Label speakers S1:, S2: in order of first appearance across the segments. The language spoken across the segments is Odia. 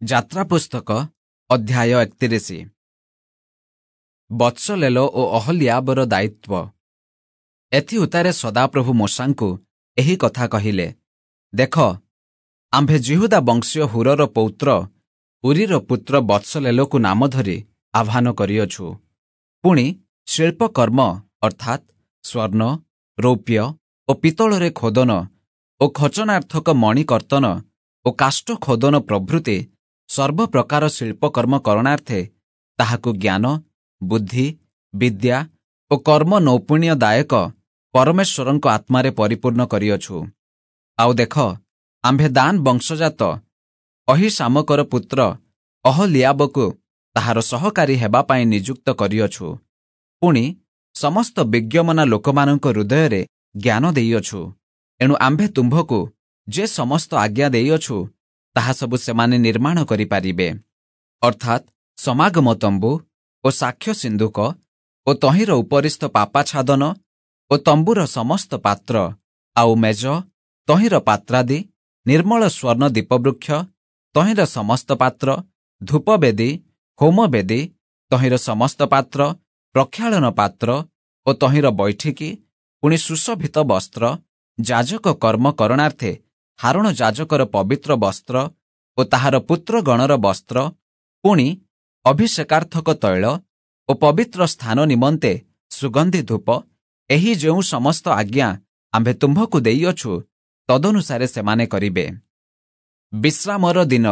S1: ଯାତ୍ରା ପୁସ୍ତକ ଅଧ୍ୟାୟ 31। ବତ୍ସଲେଲ ଓ ଅହଲିଆବର ଦାୟିତ୍ୱ। ଏଥିଉତ୍ତାରେ ସଦାପ୍ରଭୁ ମୋଶାଙ୍କୁ ଏହି କଥା କହିଲେ, ଦେଖ, ଆମ୍ଭେ ଯିହୁଦା ବଂଶୀୟ ହୁରର ପୌତ୍ର ଉରିର ପୁତ୍ର ବତ୍ସଲେଲକୁ ନାମ ଧରି ଆହ୍ୱାନ କରିଅଛୁ। ପୁଣି ଶିଳ୍ପକର୍ମ ଅର୍ଥାତ୍ ସ୍ୱର୍ଣ୍ଣ, ରୌପ୍ୟ ଓ ପିତ୍ତଳରେ ଖୋଦନ ଓ ଖଚନାର୍ଥକ ମଣିକର୍ତ୍ତନ ଓ କାଷ୍ଠ ଖୋଦନ ପ୍ରଭୃତି ସର୍ବପ୍ରକାର ଶିଳ୍ପକର୍ମ କରଣାର୍ଥେ ତାହାକୁ ଜ୍ଞାନ, ବୁଦ୍ଧି, ବିଦ୍ୟା ଓ କର୍ମ ନୈପୁଣ୍ୟଦାୟକ ପରମେଶ୍ୱରଙ୍କ ଆତ୍ମାରେ ପରିପୂର୍ଣ୍ଣ କରିଅଛୁ। ଆଉ ଦେଖ, ଆମ୍ଭେ ଦାନ ବଂଶଜାତ ଅହୀଶାମକର ପୁତ୍ର ଅହଲିଆବକୁ ତାହାର ସହକାରୀ ହେବା ପାଇଁ ନିଯୁକ୍ତ କରିଅଛୁ। ପୁଣି ସମସ୍ତ ବିଜ୍ଞମନା ଲୋକମାନଙ୍କ ହୃଦୟରେ ଜ୍ଞାନ ଦେଇଅଛୁ। ଏଣୁ ଆମ୍ଭେ ତୁମ୍ଭକୁ ଯେ ସମସ୍ତ ଆଜ୍ଞା ଦେଇଅଛୁ, ତାହା ସବୁ ସେମାନେ ନିର୍ମାଣ କରିପାରିବେ, ଅର୍ଥାତ୍ ସମାଗମ ତମ୍ବୁ ଓ ସାକ୍ଷ୍ୟ ସିନ୍ଧୁକ ଓ ତହିଁର ଉପରିସ୍ଥ ପାପାଛାଦନ ଓ ତମ୍ବୁର ସମସ୍ତ ପାତ୍ର, ଆଉ ମେଜ, ତହିଁର ପାତ୍ରାଦି, ନିର୍ମଳ ସ୍ୱର୍ଣ୍ଣ ଦୀପବୃକ୍ଷ, ତହିଁର ସମସ୍ତ ପାତ୍ର, ଧୂପବେଦୀ, ହୋମବେଦୀ, ତହିଁର ସମସ୍ତ ପାତ୍ର, ପ୍ରକ୍ଷାଳନ ପାତ୍ର ଓ ତହିଁର ବୈଠିକି, ପୁଣି ସୁଶୋଭିତ ବସ୍ତ୍ର, ଯାଜକ କର୍ମ କରଣାର୍ଥେ ହାରୋଣ ଯାଜକର ପବିତ୍ର ବସ୍ତ୍ର ଓ ତାହାର ପୁତ୍ରଗଣର ବସ୍ତ୍ର, ପୁଣି ଅଭିଷେକାର୍ଥକ ତୈଳ ଓ ପବିତ୍ର ସ୍ଥାନ ନିମନ୍ତେ ସୁଗନ୍ଧି ଧୂପ, ଏହି ଯେଉଁ ସମସ୍ତ ଆଜ୍ଞା ଆମ୍ଭେ ତୁମ୍ଭକୁ ଦେଇଅଛୁ, ତଦନୁସାରେ ସେମାନେ କରିବେ। ବିଶ୍ରାମର ଦିନ।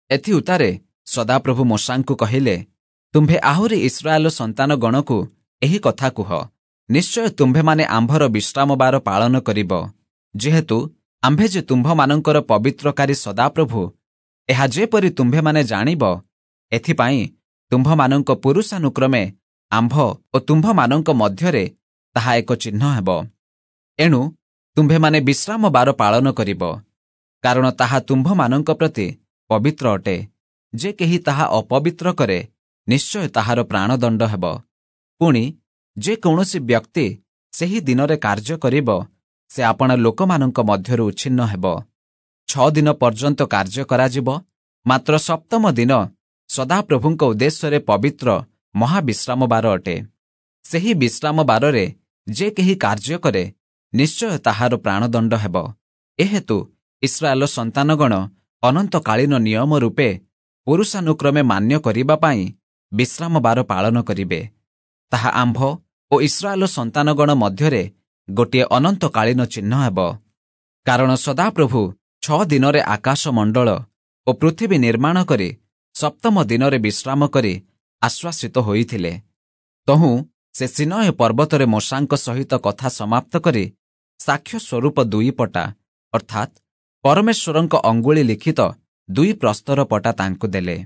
S1: ଏଥିଉତ୍ତାରେ ସଦାପ୍ରଭୁ ମୋଶାଙ୍କୁ କହିଲେ, ତୁମ୍ଭେ ଆହୁରି ଇସ୍ରାଏଲ ସନ୍ତାନଗଣକୁ ଏହି କଥା କୁହ, ନିଶ୍ଚୟ ତୁମ୍ଭେମାନେ ଆମ୍ଭର ବିଶ୍ରାମବାର ପାଳନ କରିବ। ଯେହେତୁ ଆମ୍ଭେ ଯେ ତୁମ୍ଭମାନଙ୍କର ପବିତ୍ରକାରୀ ସଦାପ୍ରଭୁ, ଏହା ଯେପରି ତୁମ୍ଭେମାନେ ଜାଣିବ, ଏଥିପାଇଁ ତୁମ୍ଭମାନଙ୍କ ପୁରୁଷାନୁକ୍ରମେ ଆମ୍ଭ ଓ ତୁମ୍ଭମାନଙ୍କ ମଧ୍ୟରେ ତାହା ଏକ ଚିହ୍ନ ହେବ। ଏଣୁ ତୁମ୍ଭେମାନେ ବିଶ୍ରାମବାର ପାଳନ କରିବ, କାରଣ ତାହା ତୁମ୍ଭମାନଙ୍କ ପ୍ରତି ପବିତ୍ର ଅଟେ। ଯେ କେହି ତାହା ଅପବିତ୍ର କରେ, ନିଶ୍ଚୟ ତାହାର ପ୍ରାଣଦଣ୍ଡ ହେବ। ପୁଣି ଯେ କୌଣସି ବ୍ୟକ୍ତି ସେହି ଦିନରେ କାର୍ଯ୍ୟ କରିବ, ସେ ଆପଣା ଲୋକମାନଙ୍କ ମଧ୍ୟରୁ ଉଚ୍ଛିନ୍ନ ହେବ। 6 ଦିନ ପର୍ଯ୍ୟନ୍ତ କାର୍ଯ୍ୟ କରାଯିବ, ମାତ୍ର ସପ୍ତମ ଦିନ ସଦାପ୍ରଭୁଙ୍କ ଉଦ୍ଦେଶ୍ୟରେ ପବିତ୍ର ମହାବିଶ୍ରାମବାର ଅଟେ। ସେହି ବିଶ୍ରାମବାରରେ ଯେ କେହି କାର୍ଯ୍ୟ କରେ, ନିଶ୍ଚୟ ତାହାର ପ୍ରାଣଦଣ୍ଡ ହେବ। ଏହେତୁ ଇସ୍ରାଏଲ ସନ୍ତାନଗଣ ଅନନ୍ତକାଳୀନ ନିୟମ ରୂପେ ପୁରୁଷାନୁକ୍ରମେ ମାନ୍ୟ କରିବା ପାଇଁ ବିଶ୍ରାମବାର ପାଳନ କରିବେ। ତାହା ଆମ୍ଭ ଓ ଇସ୍ରାଏଲ ସନ୍ତାନଗଣ ମଧ୍ୟରେ ଗୋଟିଏ ଅନନ୍ତକାଳୀନ ଚିହ୍ନ ହେବ। କାରଣ ସଦାପ୍ରଭୁ 6 ଦିନରେ ଆକାଶ ମଣ୍ଡଳ ଓ ପୃଥିବୀ ନିର୍ମାଣ କରି ସପ୍ତମ ଦିନରେ ବିଶ୍ରାମ କରି ଆଶ୍ୱାସିତ ହୋଇଥିଲେ। ତହୁଁ ସେ ସିନୟ ପର୍ବତରେ ମୋଶାଙ୍କ ସହିତ କଥା ସମାପ୍ତ କରି ସାକ୍ଷ୍ୟ ସ୍ୱରୂପ 2 ପଟା, ଅର୍ଥାତ୍ ପରମେଶ୍ୱରଙ୍କ ଅଙ୍ଗୁଳି ଲିଖିତ 2 ପ୍ରସ୍ତର ପଟା ତାଙ୍କୁ ଦେଲେ।